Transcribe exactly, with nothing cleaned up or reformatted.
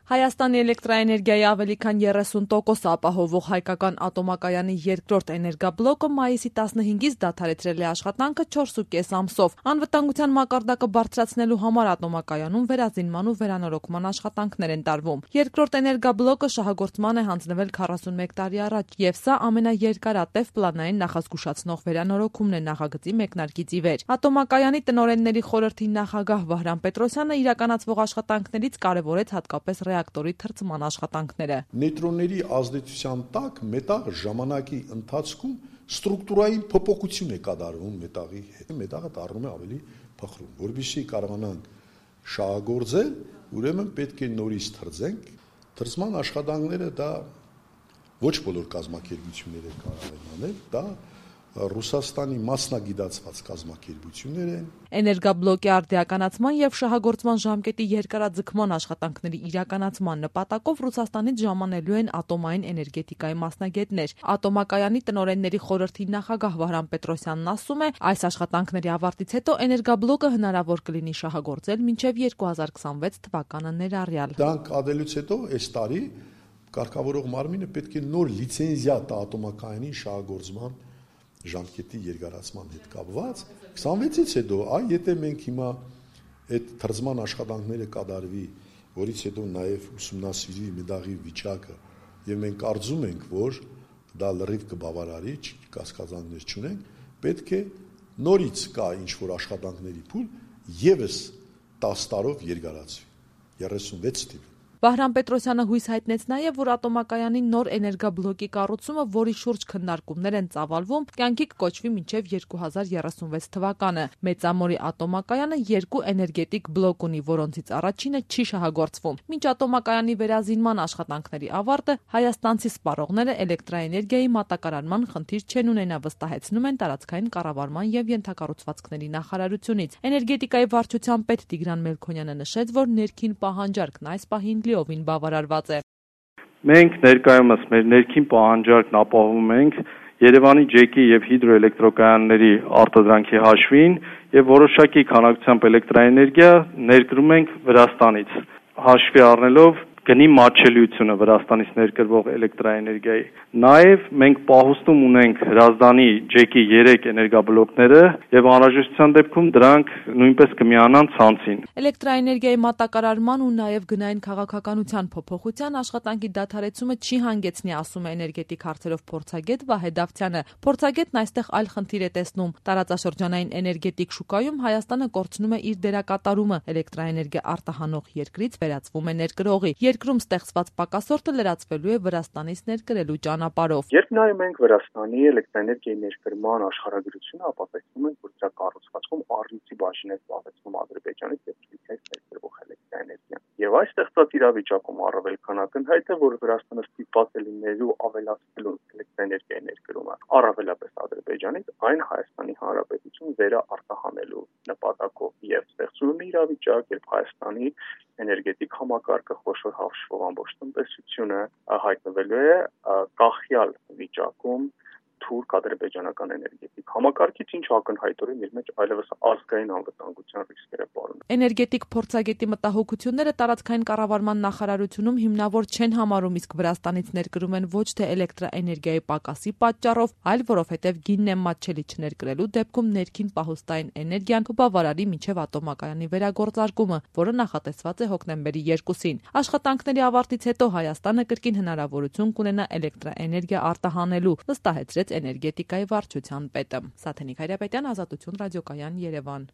Հայաստանի էլեկտրաէներգիայի ավելի քան երեսուն տոկոսը ապահովող հայկական ատոմակայանի երկրորդ էներգաբլոկը մայիսի տասնհինգից դադարեցրել է աշխատանքը չորս ու կես ամսով։ Անվտանգության մակարդակը բարձրացնելու համար ատոմակայանում վերազինման ու վերանորոգման աշխատանքներ են տարվում։ Երկրորդ էներգաբլոկը շահագործման է հանձնվել քառասունմեկ տարի առաջ, եւ սա ամենաերկարատև պլանային նախազգուշացնող վերանորոգումն է նախագծի մեկնարկից ի վեր։ Ատոմակայանի տնօրենների խորհրդի նախագահ Վահրամ Պետրոսյանը իրականացվող աշխատանքներից կարևորեց հատկապես ռեակտորի թրծման աշխատանքները։ Նեյտրոնների ազդեցության տակ մետաղը ժամանակի ընթացքում ստրուկտուրային փոփոխություն է կատարվում մետաղի հետ։ Մետաղը դառնում է ավելի փխրուն, որովհետեւ կարողանանք շահագործել, ուրեմն պետք է նորից թրծենք։ Թրծման աշխատանքները դա ոչ բոլոր կազմակերպությունները կարող են անել, դա Ռուսաստանի մասնագիտացված կազմակերպություններ են։ Էներգաբլոկի արդիականացման եւ շահագործման ժամկետի երկարաձգման աշխատանքների իրականացման նպատակով Ռուսաստանից ժամանելու են ատոմային էներգետիկայի մասնագետներ։ Ատոմակայանի տնօրենների խորհրդի նախագահ Վահրամ Պետրոսյանն ասում է, այս աշխատանքների ավարտից հետո էներգաբլոկը հնարավոր կլինի շահագործել մինչեւ երկու հազար քսանվեց թվականը ներառյալ։ Դրանք ադելուց հետո այս տարի կարգավորող մարմինը պետք է նոր լիցենզիա տա ատոմակայանի շահագործման ժամկետի երկարացման հետ կապված քսանվեցից հետո, այ եթե մենք հիմա այդ թրծման աշխատանքները կատարվի, որից հետո նաև ուսումնասիրվի մետաղի վիճակը, եւ մենք կարծում ենք, որ դա լրիվ կբավարարի, կասկածանքներ չունենք, պետք է նորից կա ինչ-որ աշխատանքների փուլ եւս տասը տարով երկարացվի, երեսունվեց թիվ։ Վահրամ Պետրոսյանը հույս հայտնեց նաև, որ ատոմակայանի նոր էներգաբլոկի կառուցումը, որի շուրջ քննարկումներ են ծավալվում, կյանքի կկոչվի մինչև երկու հազար երեսունվեց թվականը։ Մեծամորի ատոմակայանը երկու էներգետիկ բլոկ ունի, որոնցից առաջինը չի շահագործվում։ Մինչ ատոմակայանի վերազինման աշխատանքների ավարտը հայաստանցի սպառողները էլեկտրաէներգիայի մատակարարման խնդիր չեն ունենա, վստահեցնում են տարածքային կառավարման եւ ենթակառուցվածքների նախարարությունից։ Էներգետիկայի վարչության պետ Տիգրան Մելքոնյանը նշեց, որ ներքին պահանջարկն այս պահին լիովին բավարարված է։ Մենք ներկայումս մեր ներքին պահանջարկն ապահովում ենք Երևանի ջեկի եւ հիդրոէլեկտրոկայանների արտադրանքի հաշվին եւ որոշակի քանակությամբ էլեկտրաէներգիա ներկրում ենք Վրաստանից, հաշվի առնելով գնի մատչելիությունը Վրաստանից ներկրվող էլեկտրաէներգիայի։ Նաև մենք պահոստում ունենք Հրազդանի ջեկի երեք էներգաբլոկները եւ անհրաժեշտության դեպքում դրանք նույնպես կմիանան ցանցին։ Էլեկտրաէներգիայի մատակարարման ու նաև գնային քաղաքականության փոփոխության աշխատանքի դադարեցումը չի հանգեցնի, ասում է էներգետիկ հարցերով փորձագետ Վահե Դավթյանը։ Փորձագետն այստեղ այլ խնդիր է տեսնում։ Տարածաշրջանային էներգետիկ շուկայում Հայաստանը կորցնում է իր դերակատարումը, էլեկտրաէներգիա արտահանող երկրից վերածվում է ներկրողի։ Երկրում ստեղծված պակասորտը լրացվելու է Վրաստանից ներկրելու ճանապարհով։ Երբ նայում ենք Վրաստանի էլեկտրաէներգիայի ներկրման աշխարհագրությունը, ապա տեսնում ենք, որ դրա կառուցվածքում առյուծի բաժին է զբաղեցնում Ադրբեջանից եւ Թուրքիայից ներկրվող էլեկտրաէներգիան։ Եվ այս ստեղծված իրավիճակում առավել քան ակնհայտ է, որ Վրաստանը ստիպված է լինելու ավելացնելու էլեկտրաէներգիայի ներկրումը առավելապես Ադրբեջանից, այն Հայաստանի Հանրապետություն վերա արտահանելու նպատակով եւ ստեղծում է իրավիճակ, երբ Հայաստանի էներգետիկ համակարգը խոշոր հաշվով ամբողջ տնտեսությունը հայտնվելու է կախյալ վիճակում թուրք-ադրբեջանական էներգետիկ համակարգից, ինչը ակնհայտորեն իր մեջ այլևս ազգային անվտանգության ռիսկերը պարունակում։ Էներգետիկ փորձագետի մտահոգությունները տարածքային կառավարման նախարարությունում հիմնավոր չեն համարում, իսկ Վրաստանից ներկրում են ոչ թե էլեկտրաէներգիայի պակասի պատճառով, այլ որովհետև գինն է մատչելի չներկրելու դեպքում ներքին պահոստային էներգիան կբավարարի մինչև ատոմակայանի վերագործարկումը, որը նախատեսված է հոկտեմբերի երկուսին։ Աշխատանքների ավարտից հետո Հայաստանը կրկին հնարավորություն կունենա էլեկտրաէներգիա արտահանելու, վստահեցրեց էներգետիկայի վարչության պետը։ Սաթենիկ Հայրապետյան, Ազատություն ռադիոկայան, Երևան։